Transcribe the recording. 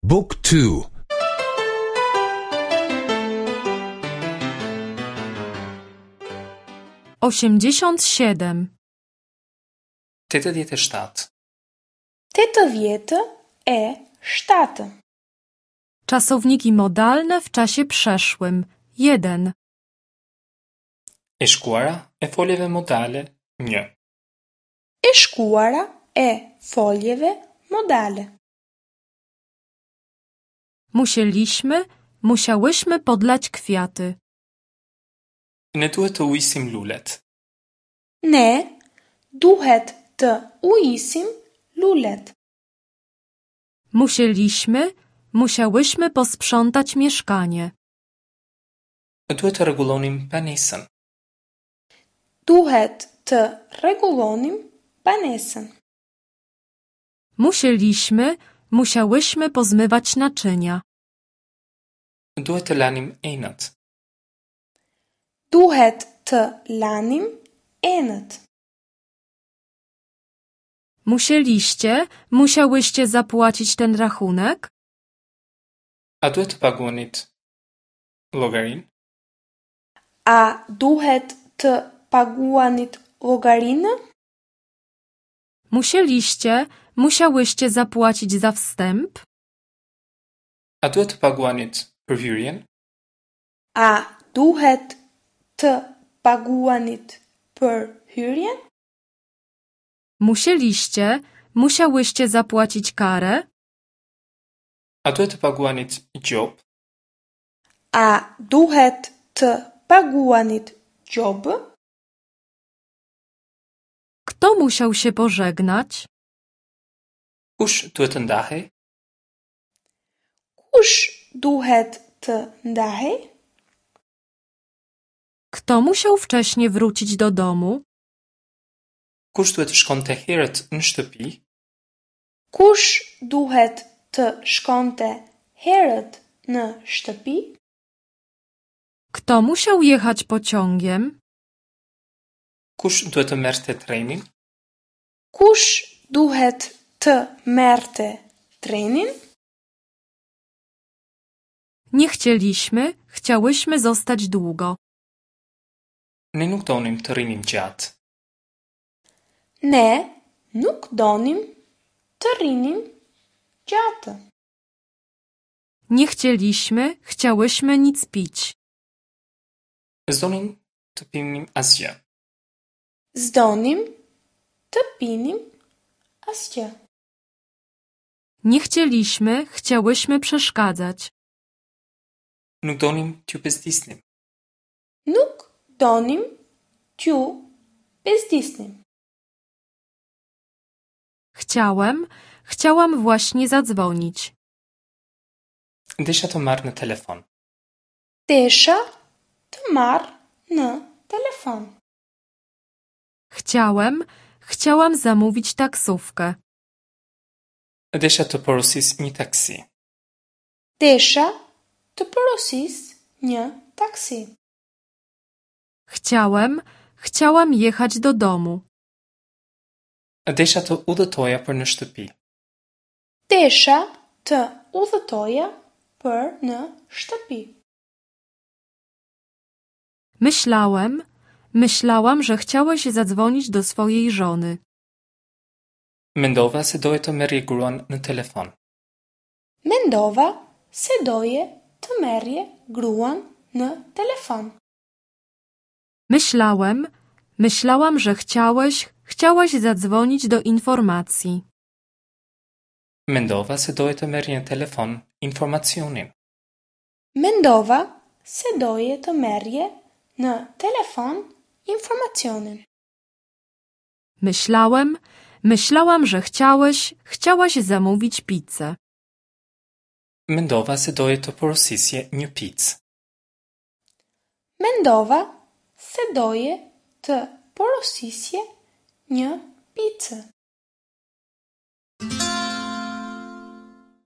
บุ๊กทู 87. 87. 87. Czasowniki modalne w czasie przeszłym. 1. E shkuara e foljeve modale 1. E shkuara e foljeve modale. Musieliśmy, musiałyśmy podlać kwiaty. Ne duhet të ujisim lulet. Ne duhet të ujisim lulet. Musieliśmy, musiałyśmy posprzątać mieszkanie. Duhet të rregullonim banesën. Duhet të rregullonim banesën. Musieliśmy, musiałyśmy pozmywać naczynia. Duhet të lanim enët. Duhet të lanim enët. Musieliście, musiałyście zapłacić ten rachunek? A duhet të paguanit llogarinë? A duhet të paguanit llogarinë? Musieliście, musiałyście zapłacić za wstęp? A duhet të paguanit për hyrjen? A duhet të paguanit për hyrjen? Musieliście, musiałyście zapłacić karę? A duhet të paguanit gjobë? A duhet të paguanit gjobë? Kto musiał się pożegnać? Kush duhet të ndahej? Kush duhet të ndahej? Kto musiał wcześnie wrócić do domu? Kush duhet të shkonte herët në shtëpi? Kush duhet të shkonte herët në shtëpi? Kto musiał jechać pociągiem? Kush duhet të merrte trenin? Kush duhet të merrte trenin? Nie chcieliśmy, chciałyśmy zostać długo. Ne nuk donim të rrinim gjatë. Ne nuk donim të rrinim gjatë. Nie chcieliśmy, chciałyśmy nic pić. S'donim të pinim asgjë. S'donim të pinim asgjë. Nie chcieliśmy, chciałyśmy przeszkadzać. Nuk donim t'ju bezdisnim. Nuk donim t'ju bezdisnim. Chciałem, chciałam właśnie zadzwonić. Desha të marr në telefon. Desha të marr në telefon. Chciałem, chciałam zamówić taksówkę. Desha të porosis një taksi. Desha të porosis një taksi. Chciałem, chciałam jechać do domu. Desha të udhëtoja për në shtëpi. Desha të udhëtoja për në shtëpi. Myślałem, myślałam, że chciałeś zadzwonić do swojej żony. Mendova se doje të merrje gruan në telefon. Mendova se doje të merrje gruan në telefon. Myślałem, myślałam, że chciałeś, chciałaś zadzwonić do informacji. Mendova se doje të merrje në telefon informacionin. Mendova se doje të merrje në telefon informacionin. Myślałem, myślałam, że chciałeś, chciałaś zamówić pizzę. Mendova se doje të porosisje një picë. Mendova se doje të porosisje një picë.